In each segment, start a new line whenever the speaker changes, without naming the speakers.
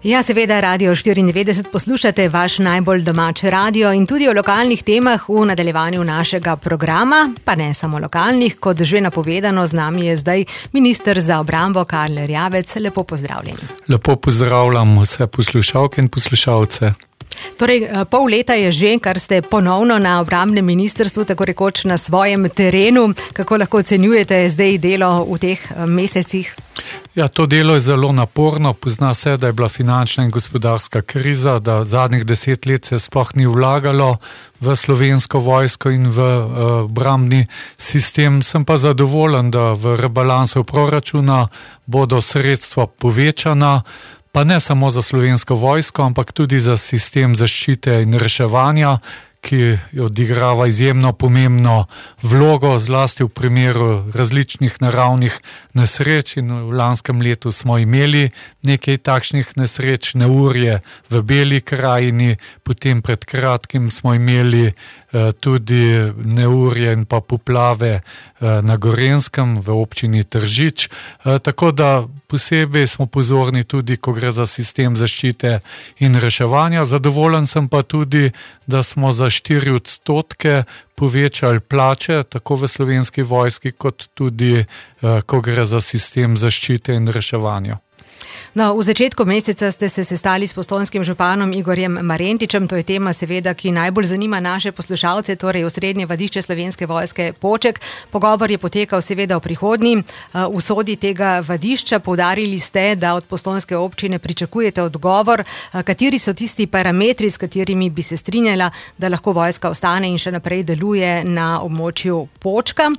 Ja, seveda Radio 94 poslušate, vaš najbolj domač radio in tudi o lokalnih temah v nadaljevanju našega programa, pa ne samo lokalnih, kot že napovedano, z nami je zdaj minister za obrambo Karl Erjavec. Lepo pozdravljeni.
Lepo pozdravljam vse poslušalke in poslušalce.
Torej, pol leta je že, kar ste ponovno na obrambnem ministrstvu, tako rekoč na svojem terenu. Kako lahko ocenjujete zdaj delo v teh mesecih?
Ja, to delo je zelo naporno. Pozna se, da je bila finančna in gospodarska kriza, da zadnjih 10 let se sploh ni vlagalo v slovensko vojsko in v obrambni sistem. Sem pa zadovoljen, da v rebalansu proračuna bodo sredstva povečana, pa ne samo za slovensko vojsko, ampak tudi za sistem zaščite in reševanja, ki odigrava izjemno pomembno vlogo, zlasti v primeru različnih naravnih nesreč, in v lanskem letu smo imeli nekaj takšnih nesreč, neurje v Beli krajini, potem pred kratkim smo imeli tudi neurje in pa poplave na Gorenjskem v občini Tržič, tako da posebej smo pozorni tudi, ko gre za sistem zaščite in reševanja. Zadovoljen sem pa tudi, da smo za 4% povečali plače, tako v Slovenski vojski, kot tudi, ko gre za sistem zaščite in reševanja.
No, v začetku meseca ste se sestali s postojnskim županom Igorjem Marentičem. To je tema seveda, ki najbolj zanima naše poslušalce, torej osrednje vadišče Slovenske vojske Poček. Pogovor je potekal seveda o prihodnji usodi tega vadišča. Poudarili ste, da od postojnske občine pričakujete odgovor, kateri so tisti parametri, s katerimi bi se strinjala, da lahko vojska ostane in še naprej deluje na območju Počka.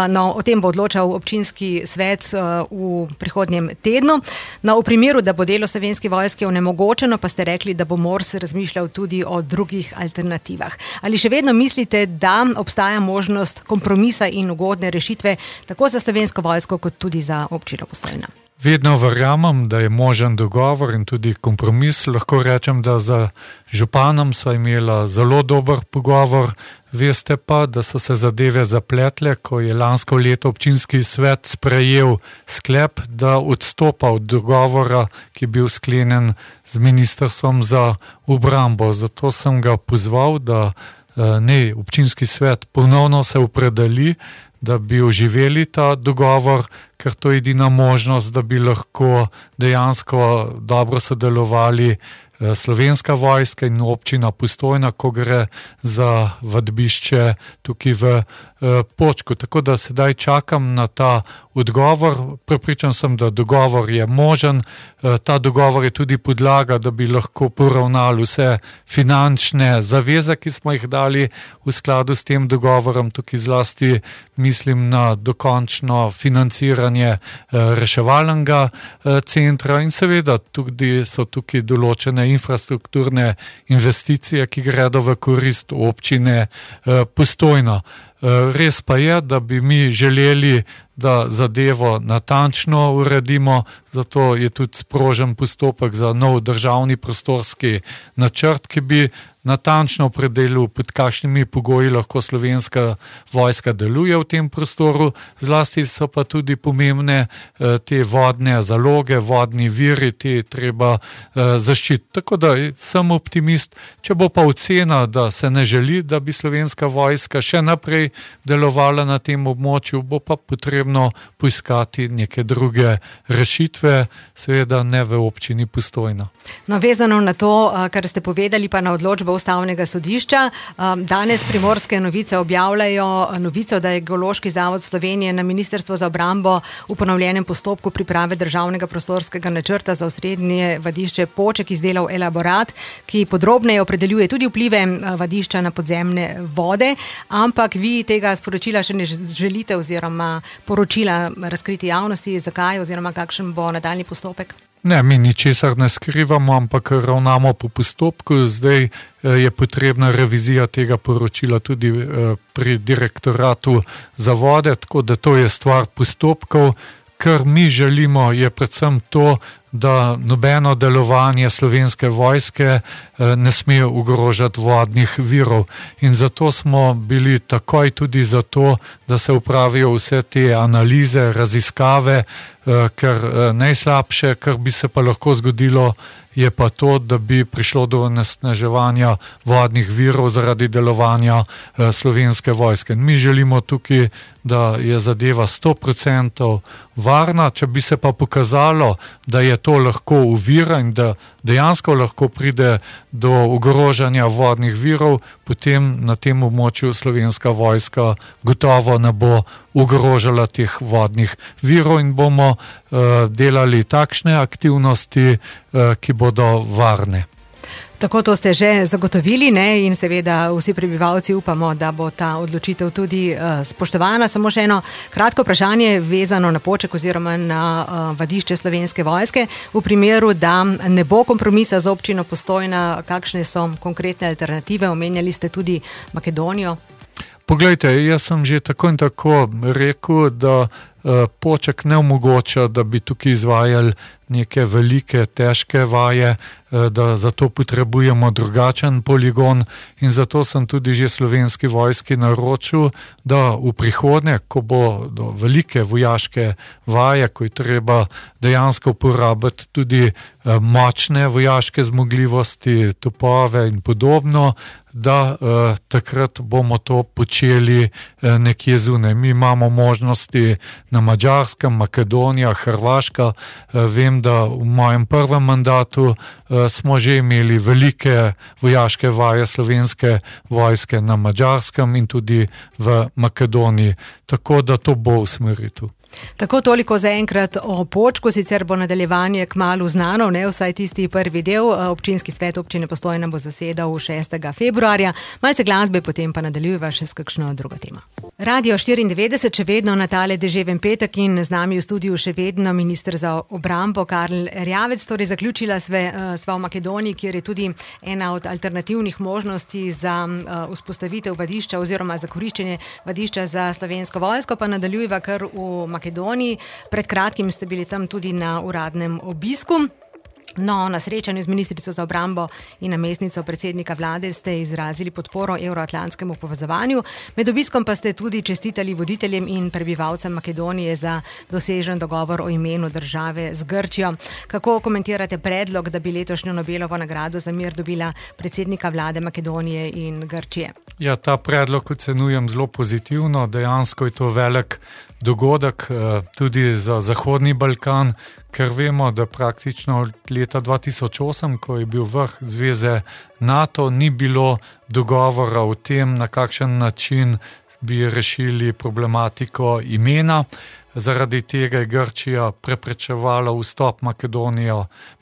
No, o tem bo odločal občinski svet v prihodnjem tednu. No, v primeru, da bo delo Slovenske vojske onemogočeno, pa ste rekli, da bo MORS razmišljal tudi o drugih alternativah. Ali še vedno mislite, da obstaja možnost kompromisa in ugodne rešitve tako za Slovensko vojsko, kot tudi za občino Postojna?
Vedno verjamem, da je možen dogovor in tudi kompromis. Lahko rečem, da za županom sva imela zelo dober pogovor. Veste pa, da so se zadeve zapletle, ko je lansko leto občinski svet sprejel sklep, da odstopa od dogovora, ki je bil sklenjen z ministrstvom za obrambo. Zato sem ga pozval, da občinski svet ponovno se opredeli, da bi oživeli ta dogovor, ker to je edina možnost, da bi lahko dejansko dobro sodelovali Slovenska vojska in občina Postojna, ko gre za vadbišče tukaj v Počku. Tako da sedaj čakam na ta odgovor. Prepričan sem, da dogovor je možen. Ta dogovor je tudi podlaga, da bi lahko poravnali vse finančne zaveze, ki smo jih dali v skladu s tem dogovorom. Tukaj zlasti mislim na dokončno financiranje reševalnega centra in seveda tudi so tukaj določene infrastrukturne investicije, ki gredo v korist občine Postojna. Res pa je, da bi mi želeli, da zadevo natančno uredimo, zato je tudi sprožen postopek za nov državni prostorski načrt, ki bi natančno opredelil, pod kakšnimi pogoji lahko Slovenska vojska deluje v tem prostoru. Zlasti so pa tudi pomembne te vodne zaloge, vodni viri, te treba zaščititi. Tako da sem optimist. Če bo pa ocena, da se ne želi, da bi Slovenska vojska še naprej delovala na tem območju, bo pa potrebno poiskati neke druge rešitve, seveda ne v občini Postojna.
No, vezano na to, kar ste povedali, pa na odločbo Ustavnega sodišča. Danes Primorske novice objavljajo novico, da je Geološki zavod Slovenije na Ministrstvo za obrambo v ponovljenem postopku priprave državnega prostorskega načrta za osrednje vadišče Poček izdelal elaborat, ki podrobneje opredeljuje tudi vplive vadišča na podzemne vode, ampak vi tega sporočila še ne želite oziroma poročila razkriti javnosti. Zakaj oziroma kakšen bo nadaljnji postopek?
Ne, mi ničesar ne skrivamo, ampak ravnamo po postopku. Zdaj je potrebna revizija tega poročila tudi pri direktoratu za vode, tako da to je stvar postopkov. Kar mi želimo, je predvsem to, da nobeno delovanje Slovenske vojske ne sme ogrožati vodnih virov. In zato smo bili takoj tudi za to, da se upravijo vse te analize, raziskave, ker najslabše, kar bi se pa lahko zgodilo, je pa to, da bi prišlo do onesnaževanja vodnih virov zaradi delovanja Slovenske vojske. Mi želimo tukaj, da je zadeva 100% varna, če bi se pa pokazalo, da je to lahko ovira in da dejansko lahko pride do ogrožanja vodnih virov, potem na tem območju Slovenska vojska gotovo ne bo ogrožala teh vodnih virov in bomo delali takšne aktivnosti, ki bodo varne.
Tako to ste že zagotovili, ne? In seveda vsi prebivalci upamo, da bo ta odločitev tudi spoštovana. Samo še eno kratko vprašanje vezano na Poček oziroma na vadišče Slovenske vojske. V primeru, da ne bo kompromisa z občino Postojna, kakšne so konkretne alternative? Omenjali ste tudi Makedonijo.
Poglejte, jaz sem že tako in tako rekel, da Poček ne omogoča, da bi tukaj izvajali neke velike, težke vaje, da zato potrebujemo drugačen poligon in zato sem tudi že Slovenski vojski naročil, da v prihodnje, ko bo do velike vojaške vaje, ko je treba dejansko uporabiti tudi močne vojaške zmogljivosti, topove in podobno, da takrat bomo to počeli nekje zunaj. Mi imamo možnosti na Madžarskem, Makedonija, Hrvaška. Vem, da v mojem prvem mandatu smo že imeli velike vojaške vaje Slovenske vojske na Madžarskem in tudi v Makedoniji. Tako da to bo usmeritev.
Tako toliko zaenkrat o Počku, sicer bo nadaljevanje kmalu znano, ne vsaj tisti prvi del. Občinski svet občine Postojna bo zasedal 6. februarja. Malce glasbe, potem pa nadaljujeva še s kakšno drugo tema. Radio 94, še vedno na tale deževen petek in z nami v studiu še vedno minister za obrambo Karl Erjavec. Torej zaključila sva v Makedoniji, kjer je tudi ena od alternativnih možnosti za vzpostavitev vadišča oziroma za koriščenje vadišča za Slovensko vojsko, pa nadaljujeva kar v Makedoniji. Pred kratkim ste bili tam tudi na uradnem obisku. No, na srečanju z ministrico za obrambo in namestnico predsednika vlade ste izrazili podporo evroatlantskemu povezovanju. Med obiskom pa ste tudi čestitali voditeljem in prebivalcem Makedonije za dosežen dogovor o imenu države z Grčijo. Kako komentirate predlog, da bi letošnjo Nobelovo nagrado za mir dobila predsednika vlade Makedonije in Grčije?
Ja, ta predlog ocenujem zelo pozitivno. Dejansko je to velik dogodek tudi za Zahodni Balkan, ker vemo, da praktično od leta 2008, ko je bil vrh zveze NATO, ni bilo dogovora o tem, na kakšen način bi rešili problematiko imena. Zaradi tega je Grčija preprečevala vstop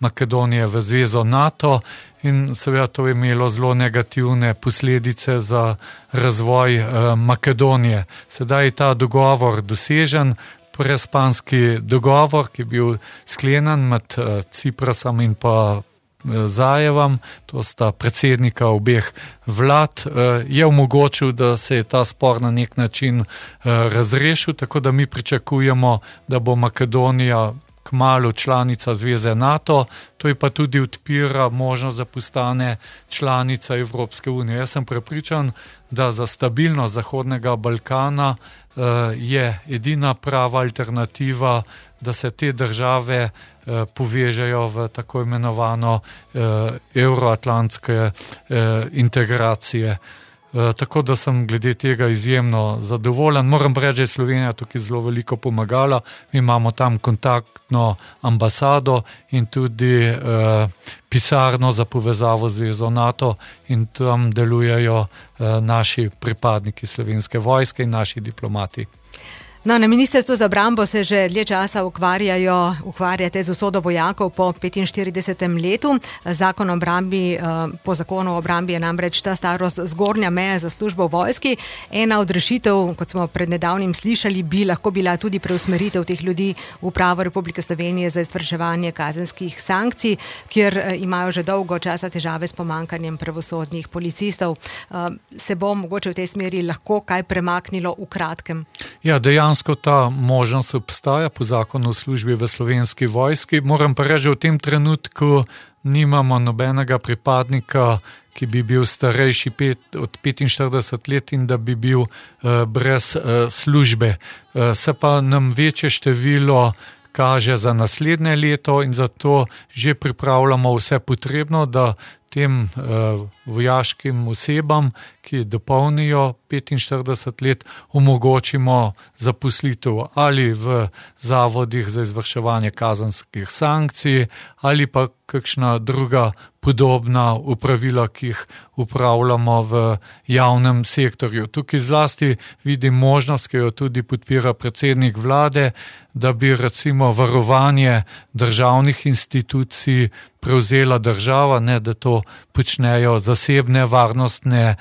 Makedonije v zvezo NATO in seveda to je imelo zelo negativne posledice za razvoj Makedonije. Sedaj je ta dogovor dosežen, prespanski dogovor, ki je bil sklenjen med Ciprasom in pa Zajevom, to sta predsednika obeh vlad, je omogočil, da se je ta spor na nek način razrešil, tako da mi pričakujemo, da bo Makedonija kmalu članica zveze NATO, to je pa tudi odpira možnost, da postane članica Evropske unije. Jaz sem prepričan, da za stabilnost Zahodnega Balkana je edina prava alternativa, da se te države povežejo v tako imenovano evroatlantske integracije. Tako da sem glede tega izjemno zadovoljen. Moram reči, da je Slovenija tukaj zelo veliko pomagala. Mi imamo tam kontaktno ambasado in tudi pisarno za povezavo z zvezo NATO in tam delujejo naši pripadniki Slovenske vojske in naši diplomati.
No, na Ministrstvu za obrambo se že dlje časa ukvarjate z usodo vojakov po 45. letu. Po zakonu o obrambi je namreč ta starost zgornja meja za službo v vojski. Ena od rešitev, kot smo pred nedavnim slišali, bi lahko bila tudi preusmeritev teh ljudi v Upravo Republike Slovenije za izvrševanje kazenskih sankcij, kjer imajo že dolgo časa težave s pomanjkanjem pravosodnih policistov. Se bo mogoče v tej smeri lahko kaj premaknilo v kratkem?
Ja, dejansko ta možnost obstaja po zakonu o službi v Slovenski vojski. Moram pa reči, v tem trenutku nimamo nobenega pripadnika, ki bi bil starejši od 45 let in da bi bil brez službe. Se pa nam večje število kaže za naslednje leto in zato že pripravljamo vse potrebno, da tem vojaškim osebam, ki dopolnijo 45 let, omogočimo zaposlitev ali v zavodih za izvrševanje kazenskih sankcij ali pa kakšna druga podobna upravila, ki jih upravljamo v javnem sektorju. Tukaj zlasti vidim možnost, ki jo tudi podpira predsednik vlade, da bi recimo varovanje državnih institucij prevzela država, ne da to počnejo zasebne varnostne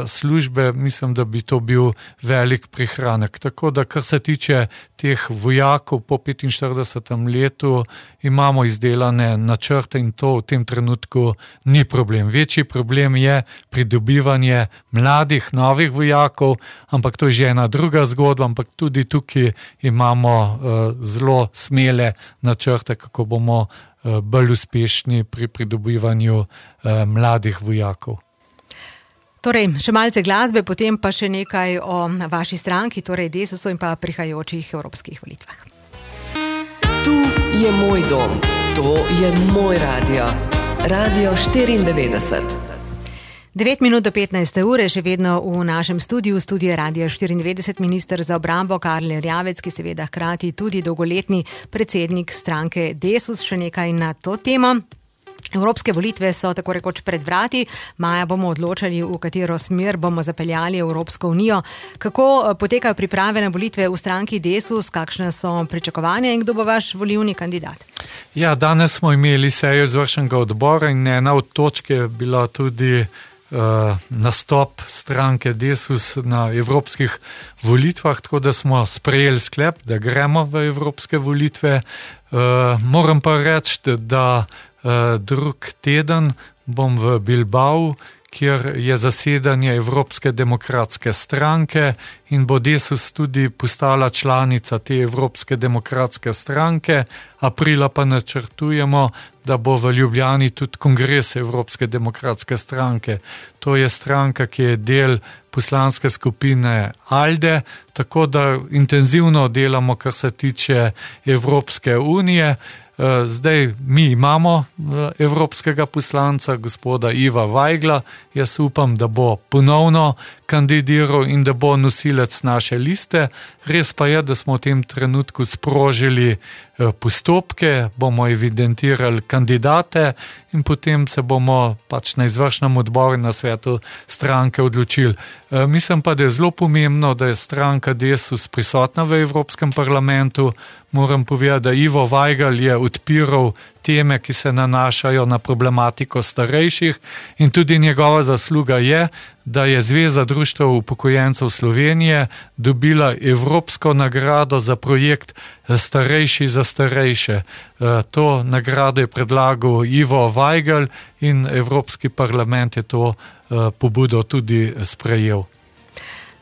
službe. Mislim, da bi to bil velik prihranek. Tako da, kar se tiče teh vojakov po 45. letu, imamo izdelane načrte in to v tem trenutku ni problem. Večji problem je pridobivanje mladih, novih vojakov, ampak to je že ena druga zgodba, ampak tudi tukaj imamo zelo smele načrte, kako bomo bolj uspešni pri pridobivanju mladih vojakov.
Torej, še malce glasbe, potem pa še nekaj o vaši stranki, torej Desusu in pa prihajajočih evropskih volitvah.
Tu je moj dom, to je moj radio. Radio 94.
9 minut do 15. ure, še vedno v našem studiu Radio 94, minister za obrambo Karl Erjavec, ki seveda hkrati tudi dolgoletni predsednik stranke Desus. Še nekaj na to temo. Evropske volitve so tako rekoč pred vrati. Maja bomo odločali, v katero smer bomo zapeljali Evropsko unijo. Kako potekajo priprave na volitve v stranki Desus, kakšne so pričakovanja in kdo bo vaš volilni kandidat?
Ja, danes smo imeli sejo izvršnega odbora in ena od točk je bila tudi nastop stranke Desus na evropskih volitvah, tako da smo sprejeli sklep, da gremo v evropske volitve. Moram pa reči, da drug teden bom v Bilbao, kjer je zasedanje Evropske demokratske stranke in bo Desus tudi postala članica te Evropske demokratske stranke. Aprila pa načrtujemo, da bo v Ljubljani tudi kongres Evropske demokratske stranke. To je stranka, ki je del poslanske skupine ALDE, tako da intenzivno delamo, kar se tiče Evropske unije. Zdaj mi imamo evropskega poslanca, gospoda Iva Vajgla. Jaz upam, da bo ponovno kandidiral in da bo nosilec naše liste. Res pa je, da smo v tem trenutku sprožili postopke, bomo evidentirali kandidate in potem se bomo pač na izvršnem odboru na svetu stranke odločili. Mislim pa, da je zelo pomembno, da je stranka Desus prisotna v Evropskem parlamentu. Moram povedati, da Ivo Vajgl je odpiral teme, ki se nanašajo na problematiko starejših in tudi njegova zasluga je, da je Zveza društev upokojencev Slovenije dobila evropsko nagrado za projekt Starejši za starejše. To nagrado je predlagal Ivo Vajgl in Evropski parlament je to pobudo tudi sprejel.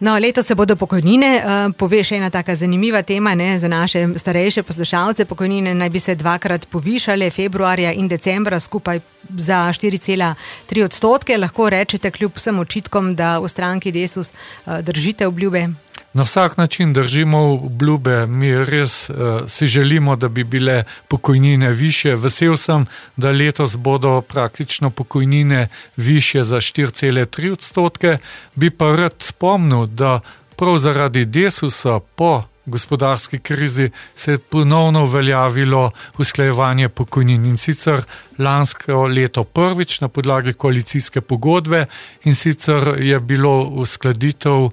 No, letos se bodo pokojnine, pove še ena taka zanimiva tema, ne, za naše starejše poslušalce. Pokojnine naj bi se dvakrat povišale, februarja in decembra, skupaj za 4,3%. Lahko rečete kljub vsem očitkom, da v stranki Desus držite obljube?
Na vsak način držimo obljube, mi res si želimo, da bi bile pokojnine višje. Vesel sem, da letos bodo praktično pokojnine višje za 4,3%. Bi pa rad spomnil, da prav zaradi Desusa po gospodarski krizi se je ponovno uveljavilo usklajevanje pokojnin in sicer lansko leto prvič na podlagi koalicijske pogodbe in sicer je bilo uskladitev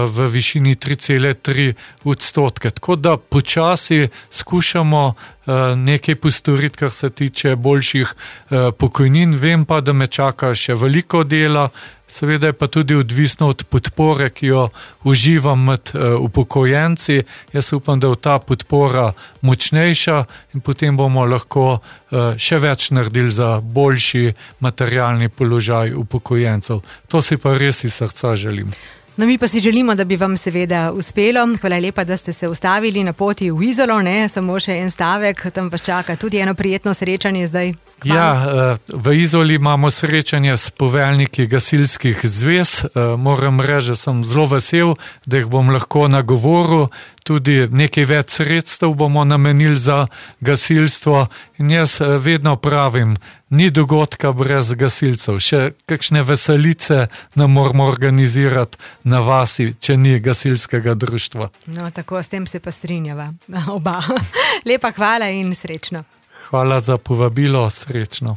v višini 3,3%. Tako da počasi skušamo nekaj postoriti, kar se tiče boljših pokojnin. Vem pa, da me čaka še veliko dela, seveda je pa tudi odvisno od podpore, ki jo uživam med upokojenci. Jaz upam, da je ta podpora močnejša in potem bomo lahko še več naredili za boljši materialni položaj upokojencev. To si pa res iz srca želim.
No, mi pa si želimo, da bi vam seveda uspelo. Hvala lepa, da ste se ustavili na poti v Izolo, ne, samo še en stavek, tam vas čaka tudi eno prijetno srečanje zdaj. Hvala.
Ja, v Izoli imamo srečanje s poveljniki gasilskih zvez. Moram reči, da sem zelo vesel, da jih bom lahko nagovoril. tudi nekaj več sredstev bomo namenili za gasilstvo in jaz vedno pravim, ni dogodka brez gasilcev, še kakšne veselice ne moramo organizirati na vasi, če ni gasilskega društva.
No, tako, s tem se pa strinjava oba. Lepa hvala in srečno.
Hvala za povabilo, srečno.